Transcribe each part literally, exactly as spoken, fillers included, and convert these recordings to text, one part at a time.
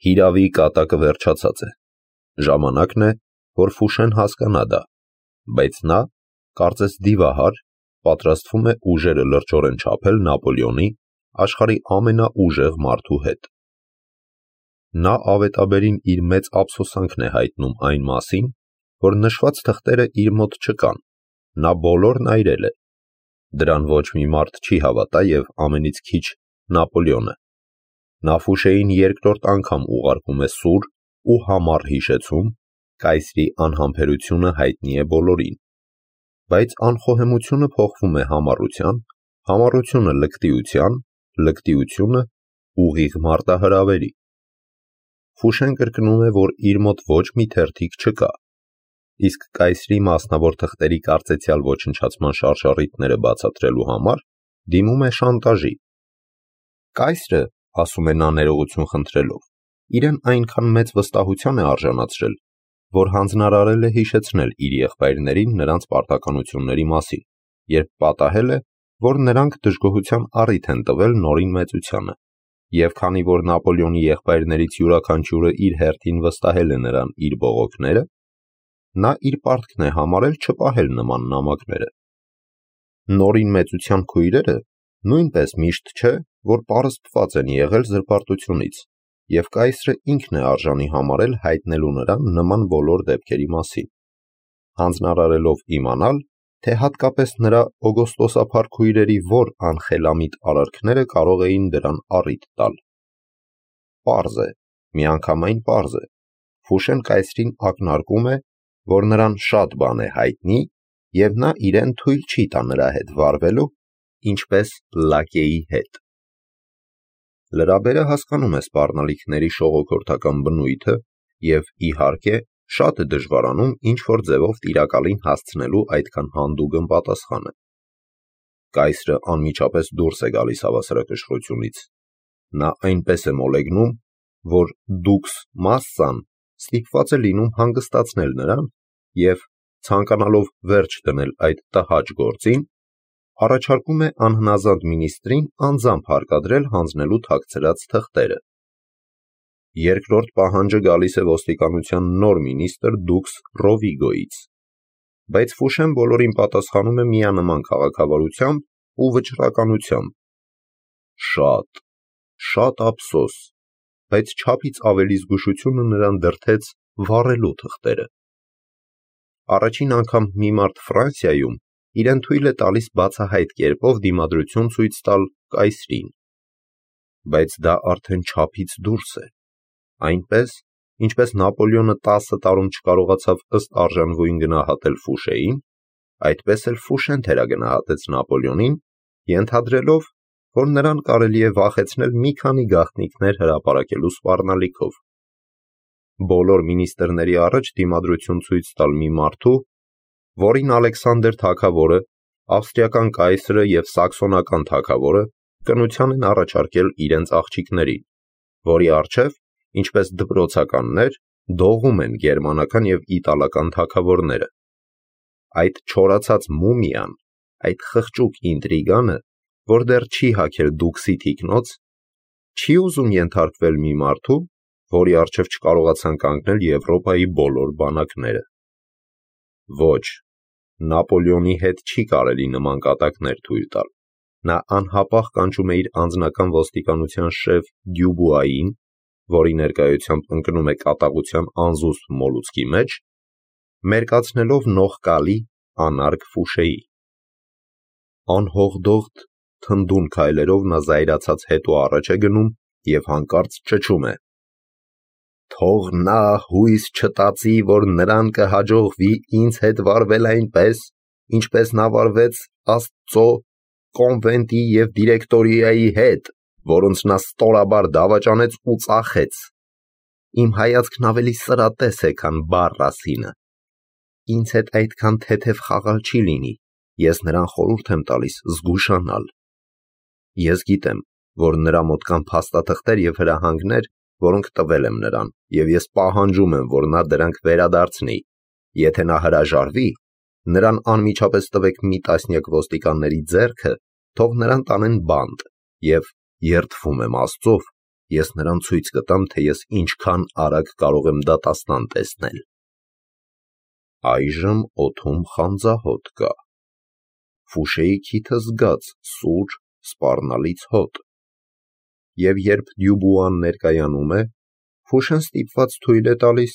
Հիրավի կատակը վերջացած է, ժամանակն է, որ Ֆուշեն հասկանա դա, բայց նա, կարծես դիվահար, պատրաստվում է ուժերը լրջորեն չափել Նապոլեոնի, աշխարհի ամենաուժեղ մարդու հետ։ Նա ավետաբերին իր մեծ ափսոսանքն է հայտնում այն մասին, որ նշված թղթերը իր մոտ չկան, նա բոլորն այրել է։ Դրան ոչ մի մարդ չի հավատա և ամենից քիչ Նապոլեոնը։ Նա Ֆուշեին երկրորդ անգամ ուղարկում է սուր ու համառ հիշեցում, կայսրի անհամբերությունը հայտնի է բոլորին, բայց անխոհեմությունը փոխվում է համառության, համառությունը լկտիության, լկտիությունը ուղիղ մարտահրավերի։ Ֆուշեն կրկնում է, որ իր մոտ ոչ մի թերթիկ չկա, իսկ կայսրի մասնավոր թղթերի կարծեցյալ ոչնչացման շարժառիթները բացատրելու համար դիմում է շանտաժի։ Կայսրը, ասում է նա ներողություն խնդրելով, իրեն այնքան մեծ վստահության է արժանացրել, որ հանձնարարել է հիշեցնել իր եղբայրներին նրանց պարտականությունների մասին, երբ պատահել է, որ նրանք դժգոհության առիթ են տվել նորին մեծությանը, և քանի որ Նապոլեոնի եղբայրներից յուրաքանչյուրը իր հերթին վստահել է նրան իր բողոքները, նա իր պարտքն է համարել չպահել նման նամակները։ Նորին մեծության քույրերը նույնպես միշտ չէ, որ պարզբված են եղել զրպարտությունից, և կայսրը ինքն է արժանի համարել հայտնելու նրան նման բոլոր դեպքերի մասին, հանձնարարելով իմանալ, թե հատկապես նրա օգոստոսափառ քույրերի որ անխելամիտ արարքները կարող էին դրան առիթ տալ։ Պարզ է, միանգամայն պարզ է, Ֆուշեն կայսրին ակնարկում է, որ նրան շատ բան է հայտնի, և նա իրեն թույլ չի տա նրա հետ վարվելու, ինչպես լակեի հետ։ Լրաբերը հասկանում է սպառնալիքների շողոքորթական բնույթը և, իհարկե, շատ է դժվարանում ինչ-որ ձևով տիրակալին հասցնելու այդքան հանդուգն պատասխանը։ Կայսրը անմիջապես դուրս է գալիս հավասարակշռությունից։ Նա այնպես է մոլեգնում, որ դուքս Մասսան ստիպված է լինում հանգստացնել նրան և, ցանկանալով վերջ դնել այդ տհաճ գործին, առաջարկում է անհնազանդ մինիստրին անձամբ հարկադրել հանձնելու թաքցրած թղթերը։ Երկրորդ պահանջը գալիս է ոստիկանության նոր մինիստր դուքս Ռովիգոյից, բայց Ֆուշեն բոլորին պատասխանում է միանման քաղաքավարությամբ ու վճռականությամբ։ Շատ, շատ ափսոս, բայց չափից ավելի զգուշությունը նրան դրդեց վառելու թղթերը։ Առաջին անգամ մի մարդ Ֆրանսիայում իրեն թույլ է տալիս բացահայտ կերպով դիմադրություն ցույց տալ կայսրին, բայց դա արդեն չափից դուրս է, այնպես, ինչպես Նապոլեոնը տասը տարում չկարողացավ ըստ արժանվույն գնահատել Ֆուշեին, այդպես էլ Ֆուշեն թերագնահատեց Նապոլեոնին, ենթադրելով, որ նրան կարելի է վախեցնել մի քանի գաղտնիքներ հրապարակելու սպառնալիքով։ Բոլոր մինիստրների առաջ դիմադրություն ցույց տալ մի մարդու, որին Ալեքսանդր թագավորը, ավստրիական կայսրը և սաքսոնական թագավորը կնության են առաջարկել իրենց աղջիկներին, որի առջև, ինչպես դպրոցականներ, դողում են գերմանական և իտալական թագավորները։ Այդ չորացած մումիան, այդ խղճուկ ինտրիգանը, որ դեռ չի հագել դուքսի թիկնոց, չի ուզում ենթարկվել մի մարդու, որի առջև չկարողացան կանգնել Եվրոպայի բոլոր բանակները։ Ոչ, Նապոլեոնի հետ չի կարելի նման կատակներ թույլ տալ։ Նա անհապաղ կանչում է իր անձնական ոստիկանության շեֆ Դյուբուային, որի ներկայությամբ ընկնում է կատաղության անզուսպ մոլուցքի մեջ, մերկացնելով նողկալի, անարգ Ֆուշեի։ Անհողդողդ, թնդուն քայլերով նա զայրացած հետո առաջ է գնում և հանկարծ ճչում է. «Թող նա հույս չտածի, որ նրան կհաջողվի ինձ հետ վարվել այնպես, ինչպես նա վարվեց Աստծո կոնվենտի և դիրեկտորիայի հետ, որոնց նա ստորաբար դավաճանեց ու ծախեց։ Իմ հայացքն ավելի սրատես է, քան բառ-ասինը։ Ինձ հետ այդքան թեթև խաղալ չի լինի, ես նրան խորհուրդ եմ տալիս զգուշանալ։ Ես գիտեմ, որ նրա մոտ կան փաստաթղթեր և հրահանգներ, որոնք տվել եմ նրան, և ես պահանջում եմ, որ նա դրանք վերադարձնի։ Եթե նա հրաժարվի, նրան անմիջապես տվեք մի տասնյակ ոստիկանների ձեռքը, թող նրան տանեն բանտ, և երդվում եմ Աստծով, ես նրան ցույց կտամ, թե ես ինչքան արագ կարող եմ դատաստան տեսնել։ Այժմ օդում խանձահոտ կա։ Ֆուշեի քիթը զգաց սուր, սպառնալից հոտ։ Եվ երբ Դյուբուան ներկայանում է, Ֆուշեն ստիպված թույլ է տալիս,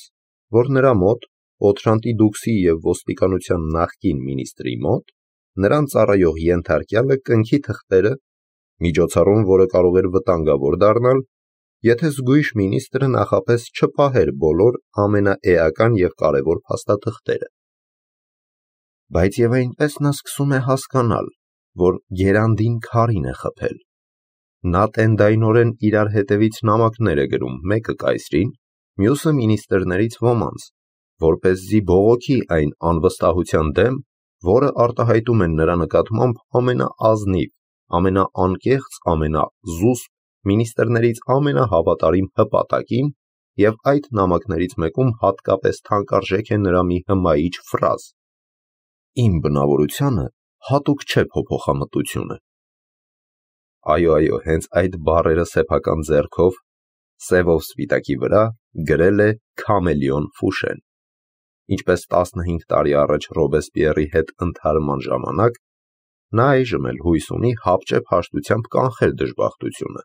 որ նրա մոտ, Օթրանտի դուքսի և ոստիկանության նախկին մինիստրի մոտ, նրան ծառայող ենթարկյալը կնքի թղթերը, միջոցառում, որը կարող էր վտանգավոր դառնալ, եթե զգույշ մինիստրը նախապես չպահեր բոլոր ամենաէական և կարևոր փաստաթղթերը։ Բայց և այնպես նա սկսում է հասկանալ, որ գերանդին քարին է խփել։ Նա տենդայնորեն իրար հետևից նամակներ է գրում, մեկը կայսրին, մյուսը մինիստրներից ոմանց, որպեսզի բողոքի այն անվստահության դեմ, որը արտահայտում են նրա նկատմամբ ամենաազնիվ, ամենաանկեղծ, ամենազուսպ, մինիստրներից ամենահավատարիմ հպատակին, և այդ նամակներից մեկում հատկապես թանկարժեք է նրա մի հմայիչ ֆրազ. «Իմ բնավորությանը հատուկ չէ փոփոխամտությունը»։ Այո, այո, հենց այդ բառերը սեփական ձեռքով, սևով սպիտակի վրա գրել է Քամելեոն Ֆուշեն։ Ինչպես տասնհինգ տարի առաջ Ռոբեսպիերի հետ ընդհարման ժամանակ, նա այժմ էլ հույս ունի հապճեպ հաշտությամբ կանխել դժբախտությունը։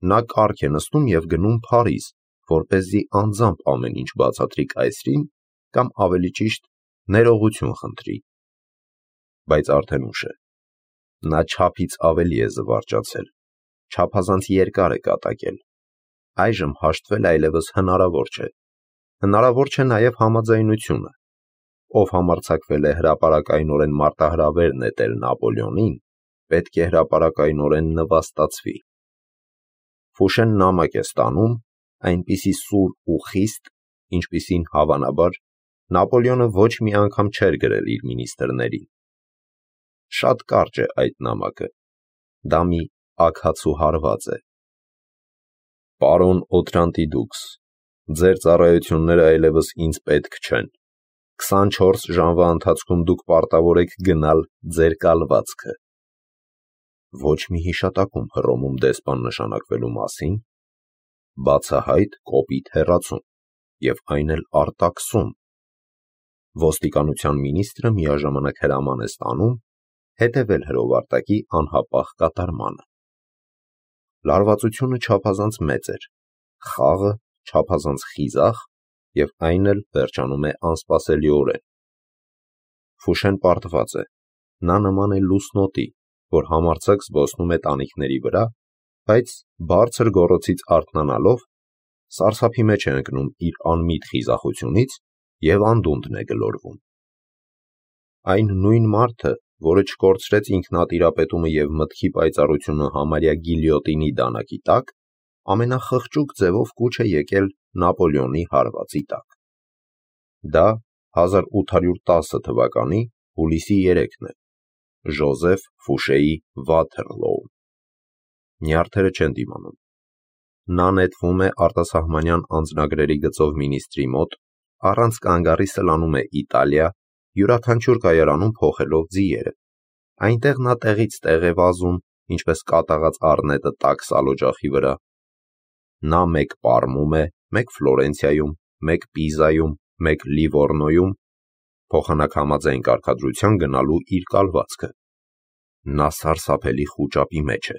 Նա կառք է նստում և գնում Փարիզ, որպեսզի անձամբ ամեն ինչ բացատրի կայսրին, կամ ավելի ճիշտ, ներողություն խնդրի։ Բայց արդեն ուշ է։ Նա չափից ավելի է զվարճացել, չափազանց երկար է կատակել։ Այժմ հաշտվել այլևս հնարավոր չէ։ Հնարավոր չէ նաև համաձայնությունը։ Ով համարձակվել է հրապարակայնորեն մարտահրավեր նետել Նապոլեոնին, պետք է հրապարակայնորեն նվաստացվի։ Ֆուշեն նամակ է ստանում, այնպիսի սուր ու խիստ, ինչպիսին, հավանաբար, Նապոլեոնը ոչ մի անգամ չէր գրել իր մինիստրներին։ Շատ կարճ է այդ նամակը։ Դա մի աքացու հարված է։ Պարոն Օթրանտի դուքս, ձեր ծառայությունները այլևս ինձ պետք չեն։ քսանչորս ժամվա ընթացքում դուք պարտավոր եք գնալ ձեր կալվածքը։ Ոչ մի հիշատակում Հռոմում դեսպան նշանակվելու մասին, բացահայտ կոպիտ հեռացում, և այն էլ արտաքսում։ Ոստիկանության մինիստրը միաժամանակ հրաման է ստանում հետևել հրովարտակի անհապաղ կատարմանը։ Լարվածությունը չափազանց մեծ էր, խաղը չափազանց խիզախ, և այն էլ վերջանում է անսպասելիորեն։ Ֆուշեն պարտված է։ Նա նման է լուսնոտի, որ համարձակ զբոսնում է տանիքների վրա, բայց բարձր գոռոցից արթնանալով, սարսափի մեջ է ընկնում իր անմիտ խիզախությունից և անդունդն է գլորվում։ Այն նույն մարդը, որը չկորցրեց ինքնատիրապետումը և մտքի պայծառությունը համարյա գիլյոտինի դանակի տակ, ամենախղճուկ ձևով կուչ է եկել Նապոլեոնի հարվածի տակ։ Դա հազար ութ հարյուր տասը թվականի հուլիսի երեքն է, Ժոզեֆ Ֆուշեի Վաթերլոում։ Նյարդերը չեն դիմանում։ Նա նետվում է արտասահմանյան անձնագրերի գծով մինիստրի մոտ, առանց կանգառի սլանում է Իտալիա, յուրաքանչյուր կայարանում փոխելով ձիերը։ Այնտեղ նա տեղից տեղ է վազում, ինչպես կատաղած առնետը տաք սալօջախի վրա։ Նա մեկ Պարմում է, մեկ Ֆլորենցիայում, մեկ Պիզայում, մեկ Լիվորնոյում, փոխանակ համաձայն կարգադրության գնալու իր կալվածքը։ Նա սարսափելի խուճապի մեջ է։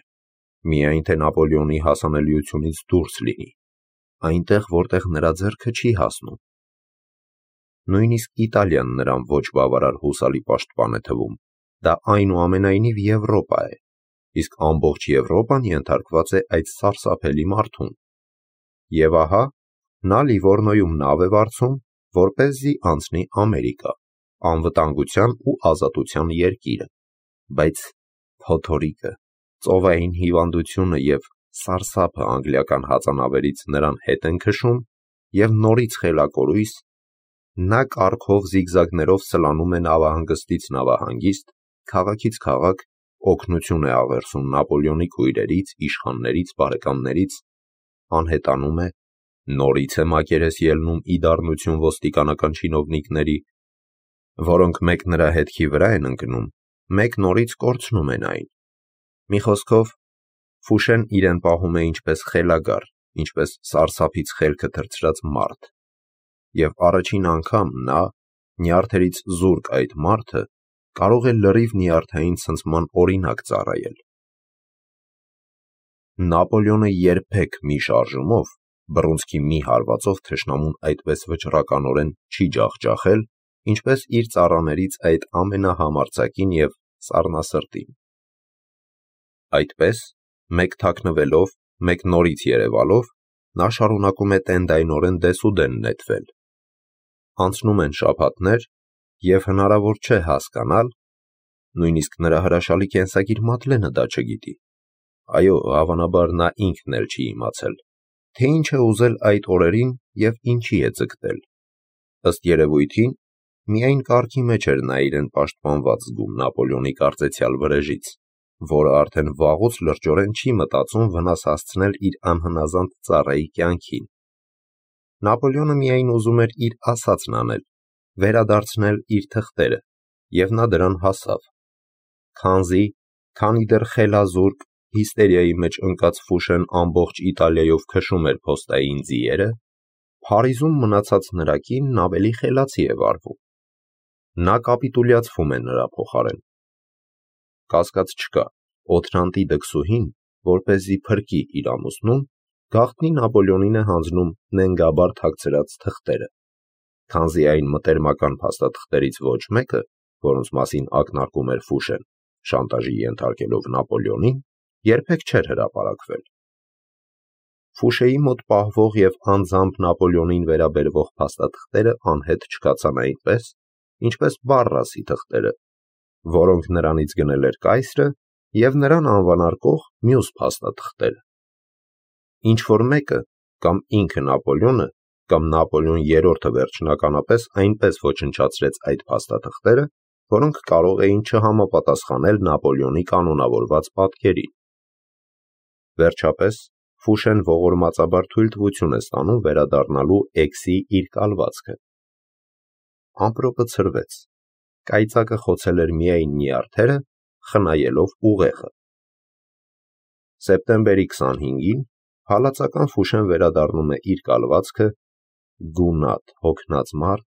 Միայն թե Նապոլեոնի հասանելիությունից դուրս լինի, այնտեղ, որտեղ նրա ձեռքը չի հասնում։ Նույնիսկ Իտալիան նրան ոչ բավարար հուսալի պաշտպան է թվում, դա այնուամենայնիվ Եվրոպա է, իսկ ամբողջ Եվրոպան ենթարկված է այդ սարսափելի մարդուն։ Եվ ահա, նա Լիվորնոյում նավ է վարձում, որպեսզի անցնի Ամերիկա, անվտանգության ու ազատության երկիրը, բայց փոթորիկը, ծովային հիվանդությունը և սարսափը անգլիական հածանավերից նրան հետ են քշում, և նորից խելակորույս, նա կառքով զիգզագներով սլանում է նավահանգստից նավահանգիստ, քաղաքից քաղաք, օգնություն է աղերսում Նապոլեոնի քույրերից, իշխաններից, բարեկամներից, անհետանում է, նորից է մակերես ելնում ի դառնություն ոստիկանական չինովնիկների, որոնք մեկ նրա հետքի վրա են ընկնում, մեկ նորից կորցնում են այն։ Մի խոսքով, Ֆուշեն իրեն պահում է ինչպես խելագար, ինչպես սարսափից խելքը թռցրած մարդ, և առաջին անգամ նա, նյարդերից զուրկ այդ մարդը, կարող է լրիվ նյարդային ցնցման օրինակ ծառայել։ Նապոլեոնը երբեք մի շարժումով, բռունցքի մի հարվածով թշնամուն այդպես վճռականորեն չի ջախջախել, ինչպես իր ծառաներից այդ ամենահամարձակին և սառնասրտին։ Այդպես, մեկ թաքնվելով, մեկ նորից երևալով, նա շարունակում է տենդայնորեն դեսուդեն նետվել։ Անցնում են շաբաթներ, և հնարավոր չէ հասկանալ, նույնիսկ նրա հրաշալի կենսագիր Մադլենը դա չգիտի, այո, հավանաբար նա ինքն էլ չի իմացել, թե ինչ է ուզել այդ օրերին և ինչի է ձգտել։ Ըստ երևույթին, միայն կառքի մեջ էր նա իրեն պաշտպանված զգում Նապոլեոնի կարծեցյալ վրեժից, որը արդեն վաղուց լրջորեն չի մտածում վնաս հասցնել իր անհնազանդ ծառայի կյանքին։ Նապոլեոնը միայն ուզում էր իր ասածն անել, վերադարձնել իր թղթերը, և նա դրան հասավ։ Քանզի, քանի դեռ խելազուրկ, հիստերիայի մեջ ընկած Ֆուշեն ամբողջ Իտալիայով քշում էր փոստային ձիերը, Փարիզում մնացած նրա կինն ավելի խելացի է վարվում։ Նա կապիտուլյացվում է նրա փոխարեն։ Կասկած չկա, Օթրանտի դքսուհին, որպեսզի փրկի իր ամուսնուն, գաղտնի Նապոլեոնին է հանձնում նենգաբար թաքցրած թղթերը, քանզի այն մտերմական փաստաթղթերից ոչ մեկը, որոնց մասին ակնարկում էր Ֆուշեն, շանտաժի ենթարկելով Նապոլեոնին, երբեք չէր հրապարակվել։ Ֆուշեի մոտ պահվող և անձամբ Նապոլեոնին վերաբերվող փաստաթղթերը անհետ չքացան այնպես, ինչպես Բարրասի թղթերը, որոնք նրանից գնել էր կայսրը և նրան անվանարկող մյուս փաստաթղթերը։ Ինչ-որ մեկը, կամ ինքը Նապոլեոնը, կամ Նապոլեոն երրորդը վերջնականապես այնպես ոչնչացրեց այդ փաստաթղթերը, որոնք կարող էին չհամապատասխանել Նապոլեոնի կանոնավորված պատկերին։ Վերջապես, Ֆուշեն ողորմածաբար թույլտվություն է ստանում վերադառնալու Էքսի իր կալվածքը։ Ամպրոպը ցրվեց, կայծակը խոցել էր միայն նյարդերը, խնայելով ուղեղը։ Սեպտեմբերի քսանհինգին հալածական Ֆուշեն վերադառնում է իր կալվածքը, գունատ, հոգնած մարդ,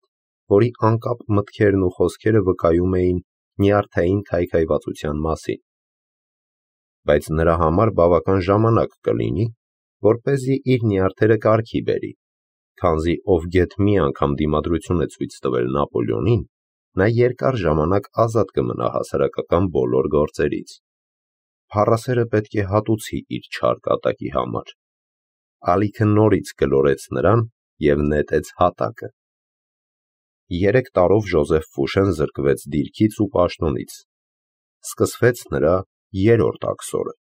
որի անկապ մտքերն ու խոսքերը վկայում էին նյարդային քայքայվածության մասին։ Բայց նրա համար բավական ժամանակ կլինի, որպեսզի իր նյարդերը կարգի բերի, քանզի ով գեթ մի անգամ դիմադրություն է ցույց տվել Նապոլեոնին, նա երկար ժամանակ ազատ կմնա հասարակական բոլոր գործերից։ Փառասերը պետք է հատուցի իր չար կատակի համար։ Ալիքը նորից գլորեց նրան և նետեց հատակը։ Երեք տարով Ժոզեֆ Ֆուշեն զրկվեց դիրքից ու պաշտոնից։ Սկսվեց նրա երրորդ աքսորը։